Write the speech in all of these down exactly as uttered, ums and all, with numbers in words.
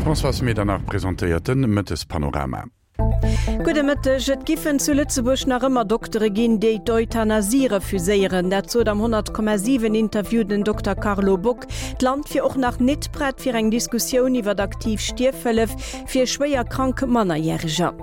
D'Françoise Medernach presentéiert den Mëttespanorama. Gudde Mëtteg, Et giffen zu Lëtzebuerg nach ëmmer Doktere ginn, déi d'Euthanasie refuséieren. Dat sot am honnert Komma siwen Interview den Dokter Carlo Bock. D'Land wier och nach nit prett fir eng Diskussioun iwwer aktiv Stierfhëllef fir schwéier krank Mannerjäreger.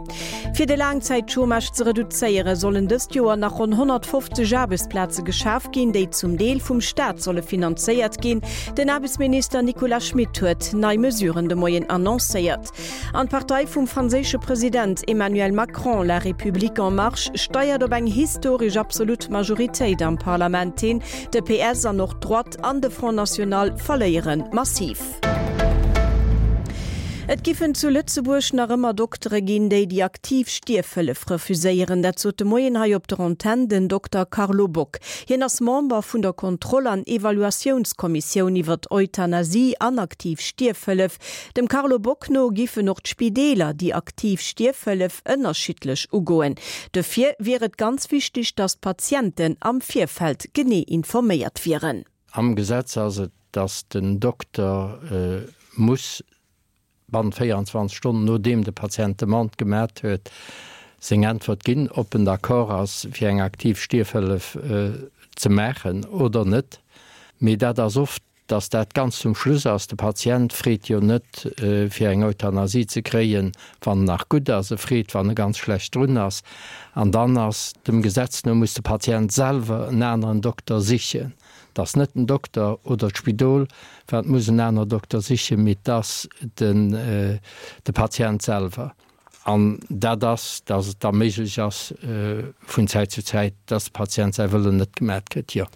Fir de Laangzäitchômage ze reduzéieren, sollen dëst Joer nach ronn honnertfofzeg Aarbechtsplaze geschaf ginn, déi zum Deel vum Staat solle finanzéiert ginn. Den Aarbechtsminister Nicolas Schmit huet nei Mesuren de Moien annoncéiert. An d'Partei vum franséische President Emmanuel Macron, La République en Marche, steiert op eng historesch absolut Majoritéit am Parlament hin. De P S an och d'Droite an de Front National verléiere massiv. Et giffen zu Lëtzebuerg nach ëmmer Doktere ginn, déi déi aktiv Stierfhëllef refuséieren. Dat sot de Moien hei op der Antenn den Dokter Carlo Bock. Hien ass Member vun der Kontroll an Evaluatiounskommissioun iwwer Euthanasie an aktiv Stierfhëllef. Dem Carlo Bock no giffen och d'Spideeler déi aktiv Stierfhëllef ënnerschiddlech ugoen. Dofir wier et ganz wichteg, datt d'Patienten am Virfeld genee informéiert wieren. Am Gesetz ass et, datt den Dokter muss bannent véierundzwanzeg Stonnen, nodeem de Patient d'Demande gemat huet, seng Äntwert ginn, ob en d'accord ass, fir eng aktiv Stierfhëllef ze maachen oder net. Mee dat ass oft, dass dat ganz zum Schluss ass. De Patient freet jo net, fir eng Euthanasie ze kréien, wann en nach gutt ass. E freet, wann e ganz schlecht drun ass. An dann ass dem Gesetz no, muss de Patient selwer en aneren Dokter sichen. Et ass net den Dokter oder d'Spidol, wat muss en aner Dokter sichen, mee et ass den, de Patient selwer. An dat ass, dass et da méiglech ass, vun Zäit zu Zäit, dass de Patient säi Wëllen net gemat kritt, jo.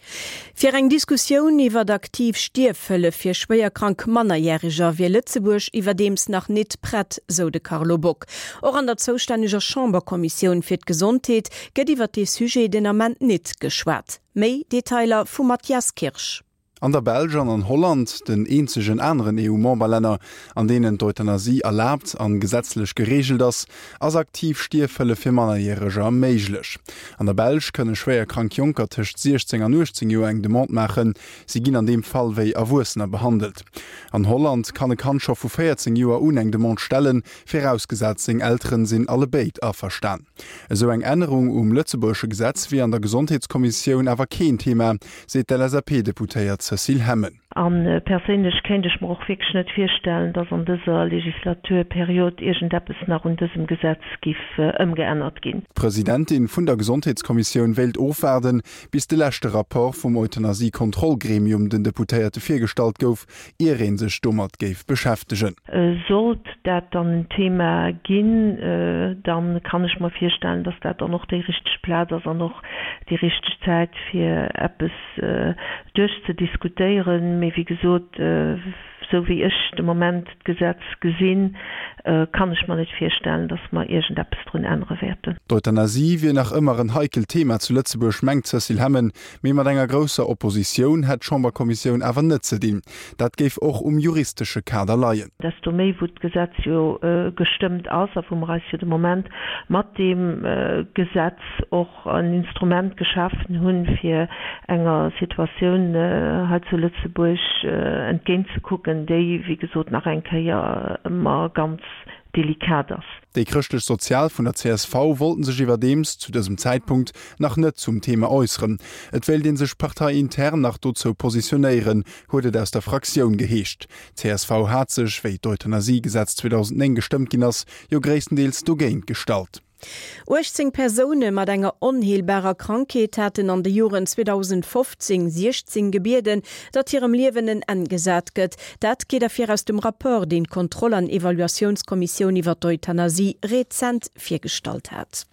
Fir eng Diskussioun iwwert aktiv Stierfhëllef fir schwéierkrank Mannerjäreger wier Lëtzebuerg iwwerdeems nach nit prett, sou de Carlo Bock. Och an der zoustänneger Chamberkommissioun fir d'Gesondheet gëtt iwwert dee Sujet den Ament nit geschwat. Méi Detailer vum Mathias Kirsch. An der Belsch an an Holland, den eenzegen aneren E U-Memberlänner, an deenen d'Euthanasie erlaabt an gesetzlech gereegelt ass, ass aktiv Stierfhëllef fir Mannerjäreger méiglech. An der Belsch kënne schwéier krank Jonker tëscht siechzéng an uechtzéng Joer eng Demande maachen. Si ginn an deem Fall wéi Erwuessener behandelt. An Holland kann e Kand scho vu véierzéng Joer un eng Demande stellen, virausgesat seng Elteren sinn allebéid averstan. Esou eng Ännerung um lëtzebuergesche Gesetz wier an der Gesondheetskommissioun awer keen Thema, seet d'L S A P-Deputéiert Cécile Hemmen. An perséinlech kéint ech mer och wierklech net virstellen, dass an dëser Legislaturperiod iergendeppes nach un dësem Gesetz giff ëmgeännert ginn. D'Presidentin vun der Gesondheetskommissioun wéilt ofwaarden, bis de leschte Rapport vum Euthanasie-Kontrollgremium den Deputéierte virgestallt gouf, ier ee sech domat géif beschäftegen. Sollt dat dann en Thema ginn, dann kann ech mer virstellen, dass dat dann och déi richteg Plaz ass an och déi richteg Zäit fir eppes duerchzediskutéieren. Mee wéi gesot, sou wéi ech de Moment d'Gesetz gesinn, kann ech mer net virstellen, dass mer iergendeppes drun ännere wäerten. D'Euthanasie wier nach ëmmer en heikelt Thema zu Lëtzebuerg, mengt d'Cécile Hemmen, mee mat enger grousser Oppositioun hätt d'Chamberkommissioun awer net ze dinn. Dat géif och um juristesche Kader leien. Desto méi, wou d'Gesetz jo gestëmmt ass a wou mer eis jo de Moment mat deem Gesetz och en Instrument geschafen hunn, fir enger Situatioun hei zu Lëtzebuerg entgéintzekucken, déi, wéi gesot, nach eng Kéier ëmmer ganz delikat ass. Déi chrëschtlech-sozial vun der C S V wollten sech iwwerdeems zu dësem Zäitpunkt nach net zum Thema äusseren. Et wéilt een sech parteiintern nach dozou positionéieren, huet et aus der Fraktioun geheescht. D C S V hat sech, wéi d'Euthanasiegesetz zweedausendnéng gestëmmt ginn ass, jo gréisstendeels dogéint gestallt. uechtzéng Persoune mat enger onheelbarer Krankheet haten an de Joren zweedausendfofzéng siechzéng gebieden, datt hirem Liewen en Enn gesat gëtt. Dat geet ervir aus dem Rapport, deen d'Kontroll- an Evaluatiounskommissioun iwwer d'Euthanasie rezent virgestallt hat.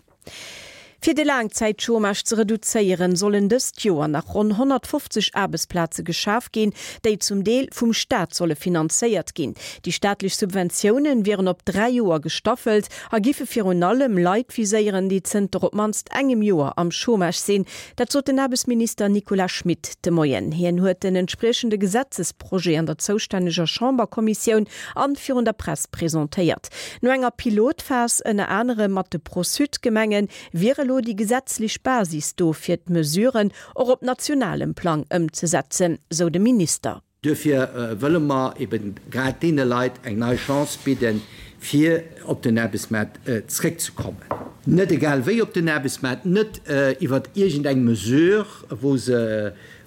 Fir de Laangzäitchômage ze reduzéieren, sollen dëst Joer nach ronn honnertfofzeg Aarbechtsplaze geschaf ginn, déi zum Deel vum Staat solle finanzéiert ginn. Déi staatlech Subventiounen wieren op dräi Joer gestaffelt a giffe virun allem Leit viséieren, déi zënter op d'mannst engem Joer am Chômage sinn. Dat sot den Aarbechtsminister Nicolas Schmit de Moien. Hien huet den entspriechende Gesetzesprojet an der zoustänneger Chamberkommissioun an virun der Press presentéiert. No enger Pilotphas ënner anerem mat de Pro-Sud-Gemengen wier elo déi gesetzlech Basis do fir d'Mesuren och op nationalem Plang ëmzesetzen, sou de Minister. Duerfir wëlle mer eben grad deene Leit eng nei Chance bidden, fir op den Aarbechtsmaart zréckzekommen. Net egal wéi op den Aarbechtsmaart, net iwwer iergendeng Mesure, wou se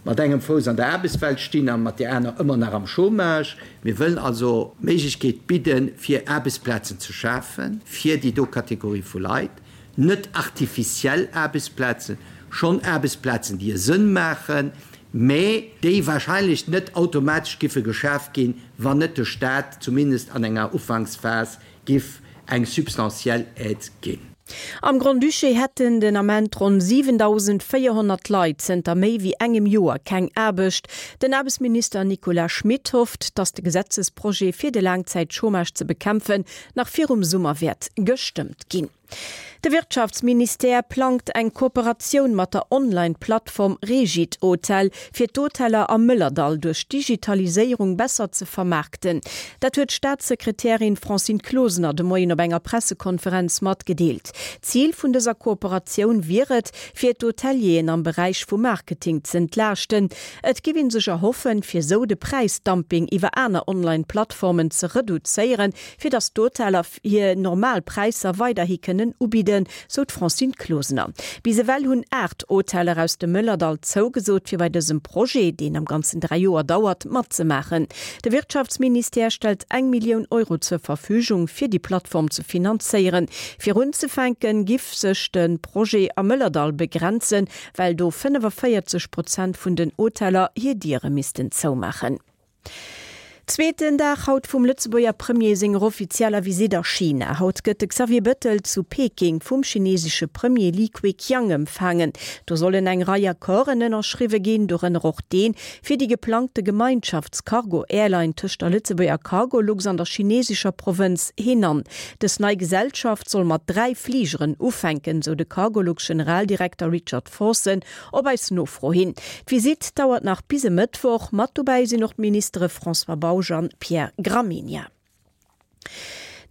mat engem Fouss an der Aarbechtswelt stinn a mat där aner ëmmer nach am Chômage. Mir wëllen also d'Méiglechkeet bidden, fir Aarbechtsplazen ze schafen fir déi do Kategorie vu Leit. Net artificiell Aarbechtsplazen, schonn Aarbechtsplazen, déi e Sënn maachen, mä déi wahrscheinlech net automatesch giffe geschaf ginn, wann net de Stat zumindest an enger Ufanksphas giff eng substantiell Aide ginn. Am Grand-Duché hätten den Ament ronn siwendausendvéierhonnert Leit zënter méi wéi engem Joer keng Aarbecht. Den Aarbechtsminister Nicolas Schmit hofft, datt de Gesetzesprojet fir de Laangzäitchômage ze bekämpfen nach virum Summer wäert gestëmmt ginn. De Wirtschaftsministère plangt eng Kooperatioun mat der Online-Plattform Regithotel, fir d'Hoteller am Mëllerdall duerch Digitaliséierung besser ze vermaarkten. Dat huet d'Staatssekretärin Francine Closener de Moien op enger Pressekonferenz matgedeelt. Zil vun dëser Kooperatioun wier et, fir d'Hotelieren am Beräich vum Marketing z'entlaaschten. Et géif ee sech erhoffen, fir sou de Präisdumping iwwer aner Online-Plattformen ze reduzéieren, fir datt d'Hoteller hir normal Präisser weiderhi kënnen ubidden, sou d'Francine Closener. Bis ewell hunn aacht Hoteller aus dem Mëllerdall zougesot, fir bei dësem Projet, deen am Ganzen dräi Joer dauert, matzemaachen. De Wirtschaftsministère stellt eng Millioun Euro zur Verfügung, fir déi Plattform ze finanzéieren. Fir unzefänken, giff sech de Projet am Mëllerdall begrenzen, well do fënnefenvéierzeg Prozent vun den Hoteller hir Diere missten zoumaachen. Zweeten Dag haut vum Lëtzebuerger Premier senger offizieller Visitt a China. Haut gëtt de Xavier Bettel zu Peking vum chinesesche Premier Li Keqiang empfaangen. Do sollen eng Rei Accorden ënnerschriwwe ginn, dorënner och deen, fir déi geplangte Gemeinschafts-Cargo-Airline tëscht der Lëtzebuerger Cargolux an der chinesescher Provënz Henan. Dës nei Gesellschaft soll mat dräi Fligeren ufänken, sou de Cargolux-Generaldirekter Richard Forson op eis Nofro hin. D'Visitt dauert nach bis e Mëttwoch. Mat dobäi sinn och d'Ministere François Bausch an Pierre Gramegna.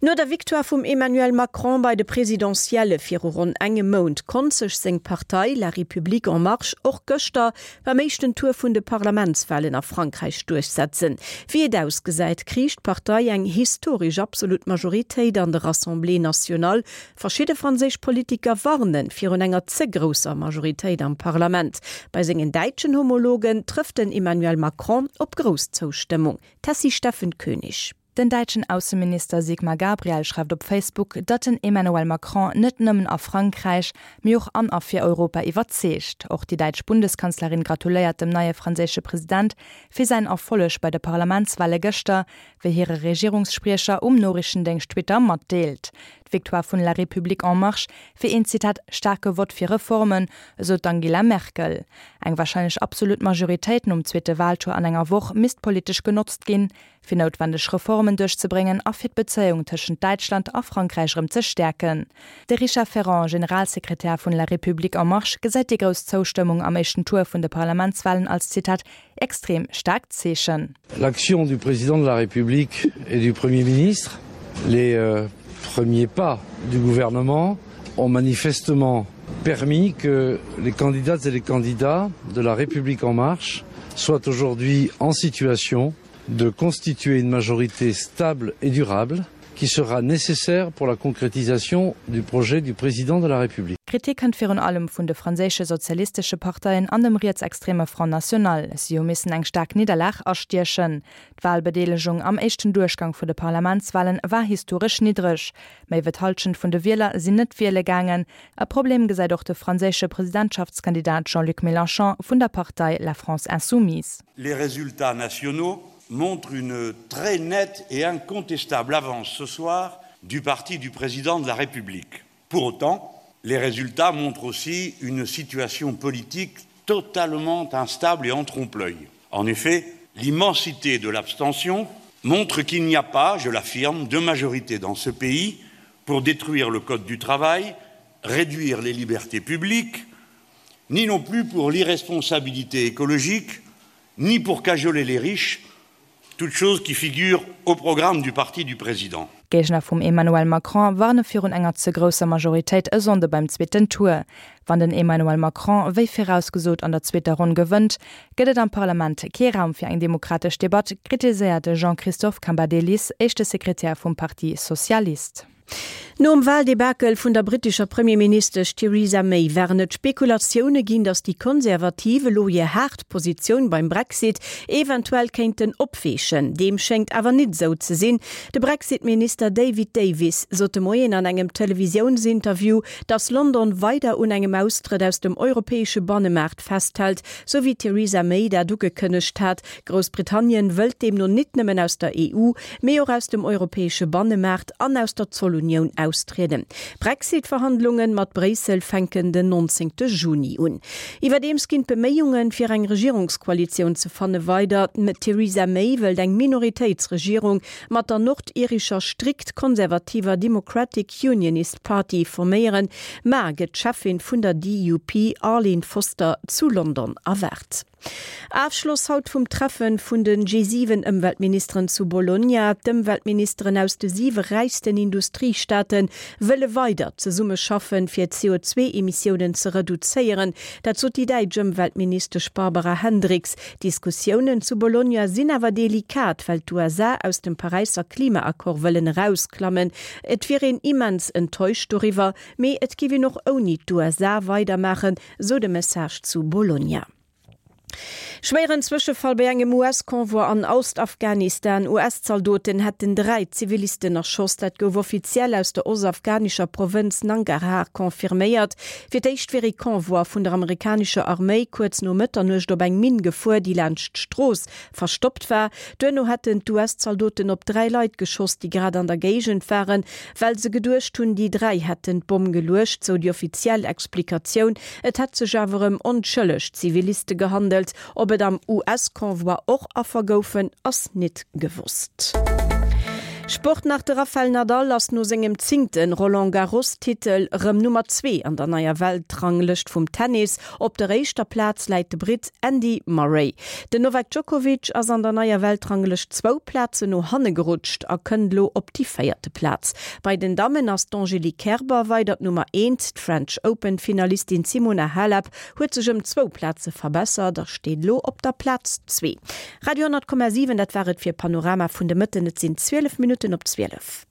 No der Victoire vum Emmanuel Macron bei de Presidentielle viru ronn engem Mount konnt sech seng Partei La République en Marche och gëschter beim éischten Tour vun de Parlamentswalen a Frankräich duerchsetzen. Wéi et ausgesäit, kriich d'Partei eng historesch absolut Majoritéit an der Assemblée nationale. Verschidde franséisch Politiker warne virun enger ze grousser Majoritéit am Parlament. Bei sengen däitschen Homologen trëfft den Emmanuel Macron op grouss Zoustëmmung. Tessy Steffen Koenig. Den däitschen Ausseminister Sigmar Gabriel schreift op Facebook, datt den Emmanuel Macron net nëmmen a Frankräich, mee och an a fir Europa iwwerzeegt. Och déi däitsch Bundeskanzlerin gratuléiert dem neie franséische President fir säin Erfolleg bei de Parlamentswale gëschter, wéi hire Regierungsspriecher um Noriichtendéngscht Twitter matdeelt. D'Victoire vun La République en Marche wier een, Zitat, staarke Vott fir Reformen, esou d'Angela Merkel. Eng warscheinlech absolut Majoritéit nom zweete Waltour an enger Woch misst politesch genotzt ginn, fir noutwendeg Reformen duerchzebréngen a fir d'Bezéiung tëschent Däitschland a Frankräich erëm ze stäerken. De Richard Ferrand, Generalsekretär vun La République en Marche, gesäit déi grouss Zoustëmmung am éischten Tour vun de Parlamentswalen als, Zitat, extrem staarkt Zeechen. L'action du Président de la République et du Premier ministre, les premiers pas du gouvernement ont manifestement permis que les candidates et les candidats de La République en marche soient aujourd'hui en situation de constituer une majorité stable et durable qui sera nécessaire pour la concrétisation du projet du Président de la République. Kritik kënnt virun allem vun de franséische sozialistesche Parteien an dem rietsextreme Front National. Si hu missen eng staark Nidderlag astiechen. D'Walbedeelegung am éischten Duerchgang vun de Parlamentswalen war historesch niddreg. Méi wéi d'Hallschent vun de Wieler sinn net wiele gaangen. E Problem gesäit och de franséische Presidentschaftskandidat Jean-Luc Mélenchon vun der Partei La France Insoumise. Les résultats nationaux montrent une très nette et incontestable avance ce soir du parti du président de la République. Pour autant, les résultats montrent aussi une situation politique totalement instable et en trompe-l'œil. En effet, l'immensité de l'abstention montre qu'il n'y a pas, je l'affirme, de majorité dans ce pays pour détruire le code du travail, réduire les libertés publiques, ni non plus pour l'irresponsabilité écologique, ni pour cajoler les riches, toutes choses qui figurent au programme du parti du président. Géigner vum Emmanuel Macron warne virun enger ze grousser Majoritéit e Sonnde beim zweeten Tour. Wann den Emmanuel Macron wéi virausgesot an der zweeter Ronn gewënnt, gëtt et am Parlament kee Raum fir eng demokratesch Debatt, kritiséiert de Jean-Christophe Cambadélis, éischte Sekretär vum Parti Socialiste. Nom Wahldebakel vun der brittescher Premierministesch Theresa May waren et Spekulatioune ginn, datt déi Konservativ elo hir haart Positioun beim Brexit eventuell kéinten opweechen. Deem schéngt awer nit esou ze sinn. De Brexit-Minister David Davis sot de Moien an engem Televisiounsinterview, datt London weider un engem Austrëtt aus dem europäesche Bannemaart festhält, sou wéi d'Theresa May dat ugekënnegt hat. Groussbritannien wëllt deemno nit nëmmen aus der E U, mee och aus dem europäesche Bannemaart an aus der Zollunioun austrieden. D'Brexit-Verhandlunge mat Bréissel fänken den nonzéngte Juni un. Iwwerdeems ginn d'Beméiungen, fir eng Regierungskoalitioun ze fanne weider. D'Theresa May wëllt eng Minoritéitsregierung mat der nordirescher strikt konservativer Democratic Unionist Party forméieren. Mar gëtt d'Cheffin vun der D U P Arlene Foster zu London erwaart. Afschloss haut vum Treffen vun den G siwen Ëmweltministeren zu Bologna. D'Ëmweltministeren aus de siwe räichsten Industriestaate wëlle weider zesummeschaffen, fir d'C O zwee Emissiounen ze reduzéieren. Dat sot déi däitsch Ëmweltministesch Barbara Hendricks. D'Diskussiounen zu Bologna sinn awer delikat, well d'U S A aus dem Paräisser Klimaaccord wëllen erausklammen. Et wier een immens enttäuscht doriwwer, mee et géif een och ouni d'U S A weidermaachen, sou de Message zu Bologna. Schwéieren Zwëschefall bei engem U S-Konvoi an Ostafghanistan. U S-Zaldoten hätten dräi Zivilisten erschoss. Dat gouf offiziell aus der ostafghanescher Provënz Nangarhar confirméiert. Fir d'éischt wier e Konvoi vun der amerikanescher Arméi kuerz no Mëtternuecht op eng Minn gefuer, déi laanscht d'Strooss verstoppt war. Duerno hätten d'U S-Zaldoten op dräi Leit geschoss, déi grad an der Géigend waren, well se geduecht hunn, déi dräi hätten d'Bomm geluecht, sou déi offiziell Explikatioun. Et hätt sech awer ëm onschëlleg Ziviliste gehandelt. Ob et am U S-Konvoi och Affer goufen, ass net gewosst. Sport nach. De Rafael Nadal ass no sengem zéngte Roland-Garros-Titel rëm Nummer zwee an der neier Weltranglëscht vum Tennis. Op der éischter Plaz läit de Britt Andy Murray. Den Novak Djokovic ass an der neier Weltranglëscht zwou Plazen no hanne gerutscht a kënnt elo op déi véierte Plaz. Bei den Dammen ass d'Angelique Kerber weider d'Nummer eent. D'French Open-Finalistin Simona Halep huet sech ëm zwou Plaze verbessert a steet elo op der Plaz zwee. Radio honnert Komma siwen, dat war et fir Panorama vun de Mëtten. Et sinn zwielef Minutten op zwielef.